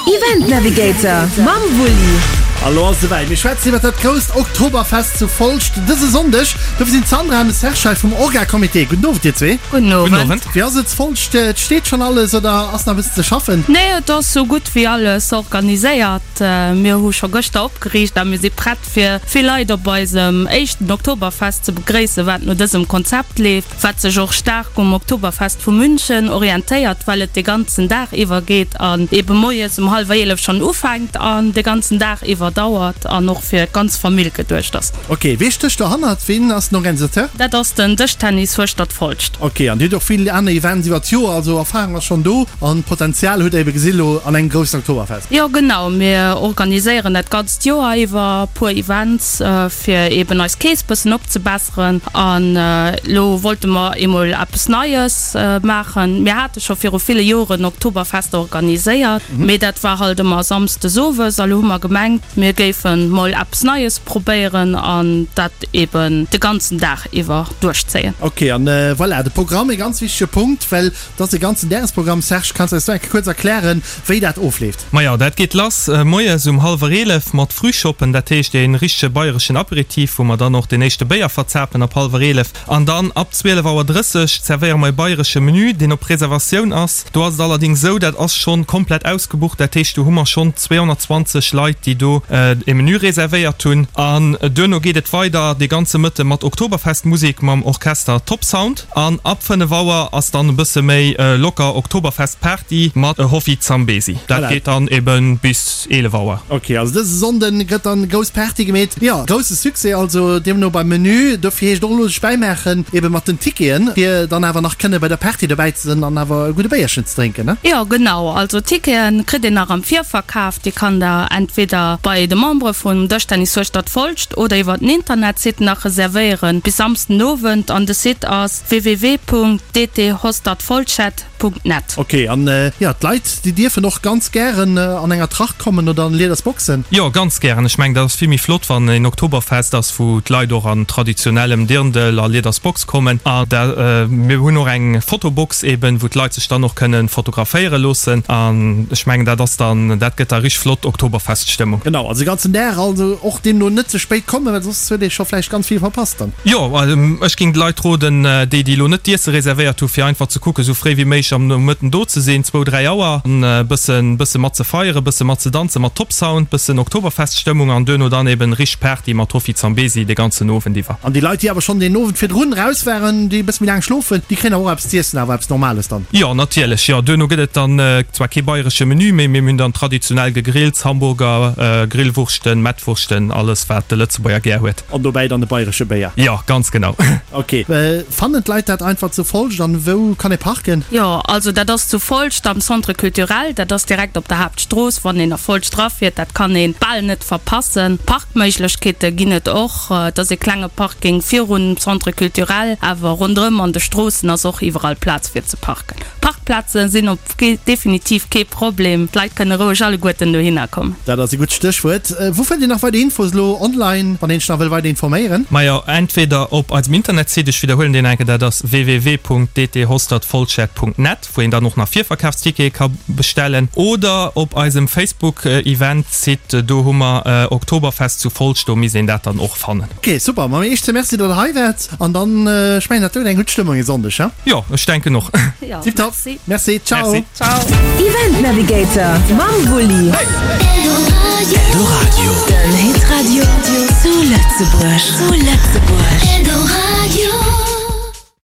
Event Navigator mam Wulli. A lo ass et esouwäit, mir schwätzen iwwer dat grousst Oktoberfest zu Folscht dëse Sonndeg. Dofir sinn d'Sandra an de Serge hei vum Orga-Comité. Gudden Owend dir zwee. Gudden Owend. Wéi ass et zu Folscht? Et steet schonn alles oder ass nach e bëssen ze schaffen? Nee, et ass sou gutt wéi alles organiséiert. Mir hu scho gëschter opgeriicht a mir si prett fir vill Leit op eisem éischten Oktoberfest ze begréissen, wat no dësem Konzept leeft. wat sech och staark um Oktoberfest vu München orientéiert, well et de ganzen Dag iwwer geet an ebe moies um hallwer 11 schonn ufänkt an de ganzen Dag iwwer dauert an och fir d'ganz Famill geduecht ass. Ok, wee stécht dohannert? Ween ass den Organisateur? Dat ass den Dëschtennis Hueschtert-Folscht. Ok, an Dir hutt och vill aner Events iwwer d'Joer, also Erfahrung ass schonn do an Potenzial hutt Der ebe gesi lo an engem groussen Oktoberfest. Jo genau, mir organiséieren dat ganzt Joer iwwer puer Events fir eben eis Kees bëssen opzebesseren. An elo wollte mer eemol eppes Neies maachen. Mir hate scho viru ville Joren Oktoberfester organiséiert, mee dat war halt ëmmer samsdes owes. A lo hu mer gemengt, mir géife mol eppes Neies probéieren an dat eben de ganzen Dag iwwer duerchzéien. Ok, an voilà, de Programm, e ganz wichtege Punkt, well et ass e ganzen Dagesprogramm. Serge, kanns de eis do eng Kéier kuerz erklären, wéi dat ofleeft? Majo, dat geet lass moies um hallwer 11 mat Frühschoppen, dat heescht ee richtege bayreschen Aperitif, wou mer dann och deen éischte Béier verzapen ab hallwer 11. An dann ab 12 Auer 30 zerwéiere mer e bayresche Menü, deen op Reservatioun ass. Do ass et allerdéngs esou, dat ass schonn komplett ausgebucht, dat heescht do hu mer schonn 220 Leit, déi do e Menü reservéiert hunn. An duerno geet et weider dee ganze Mëtte mat Oktoberfestmusek mam Orchester Top Sound. An ab 5 Auer ass dann e bësse méi locker Oktoberfest Party mat Hoffi Zambezi. Dat geet dann eben bis 11 Auer. Ok, also dëse Sonnden gëtt dann grouss Party gemeet. Jo, grousse Succès also deemno beim Menü. Dofir heescht och elo sech bäimaachen eben mat den Ticketen, fir dann awer nach kënne bei der Party dobäi ze sinn an awer e gudde Béierchen ze drénken, ne? Jo, genau. Also Ticketen kritt een nach am Virverkaf. Déi kann der entweder bei de Membere vum Dëschtennis Hueschtert Folscht oder iwwer den Internetsite nach reservéieren bis Samsden Owend an de Site ass www.dthostertfolschet.net. Ok, an jo, d'Leit déi dierfen och ganz gären an enger Tracht kommen oder an Liedersboxen? Jo, ganz gären. Ech mengen dat ass vill méi flott wann een Oktoberfest ass wou d'Leit och an traditionellem Dirndl a Liedersbox kommen. A mir hunn och eng Fotobox eben wou d'Leit sech dann och kënnen fotograféiere loossen. An ech mengen dat ass dann, dat gëtt da richteg flott Oktoberfeststëmmung. Genau, also de ganzen Dag, also och deemno net ze spéit kommen, well soss huet ee scho vläicht ganz vill verpasst dann. Jo, ech géing de Leit roden, déi déi elo net d'Iesse reservéiert hu fir einfach ze kucken, esou fréi wéi méiglech am Nomëtten do ze sinn, zwou, dräi Auer, an e bëssen, bësse mat ze feieren, bësse mat ze danzen, mat Top Sound, bëssen Oktoberfeststëmmung an duerno dann eben richteg Party mat Hoffi Zambezi de ganzen Owend iwwer. An déi Leit, déi awer schonn deen Owend virdrun raus waren, déi e bësse méi laang schlofen, déi kréien awer och eppes z'iessen, awer eppes Normales dann? Jo, natierlech, jo. Duerno gëtt et dann zwar kee bayresche Menü, mee mir hunn dann traditionell Gegrills, Hamburger, Grillwurschten, Mettwurschten, alles wat de Lëtzebuerger gär huet. An dobäi dann de bayresche Béier? Jo, ganz genau. Ok. Fannen d'Leit dat einfach zu Folscht? An wou kann ee parken? Jo, also dat ass zu Folscht am Centre Culturel. Dat ass direkt op der Haaptstrooss, wann een a Folscht rafiert. Dat kann ee bal net verpassen. Parkméiglechkeete ginn et och. Et ass ee klenge Parking virun Centre Culturel, awer ronderëm an de Stroossen ass och iwwerall Plaz fir ze parken. Parkplaze sinn op definitiv kee Problem. D'Leit kënne roueg alleguerten dohinner kommen. Dat ass e gutt Stéchwuert. Wou fënnt een nach weider Infos elo online, wann een sech nach wëll weider informéieren? Majo, entweder op eisem Internetsite, ech widderhuelen deen enke, dat ass www.dthostertfolschert.net, wou een dann och nach Virverkafstickete ka bestellen, oder op eisem Facebook-Event-Site, do hu mer Oktoberfest zu Folscht, do misst een dat dann och fannen. Ok, super. Ma Iech ze Merci, datt der hei waart. An dann, ech mengen, dat do gëtt eng gutt Stëmmung e Sonndeg, he? Jo, ech denken och. Jo, Tiptop. merci. Merci, ciao. Merci. Ciao. Event Navigator mam Wulli. Eldoradio. Den Hitradio zu Lëtzebuerg. Zu Lëtzebuerg.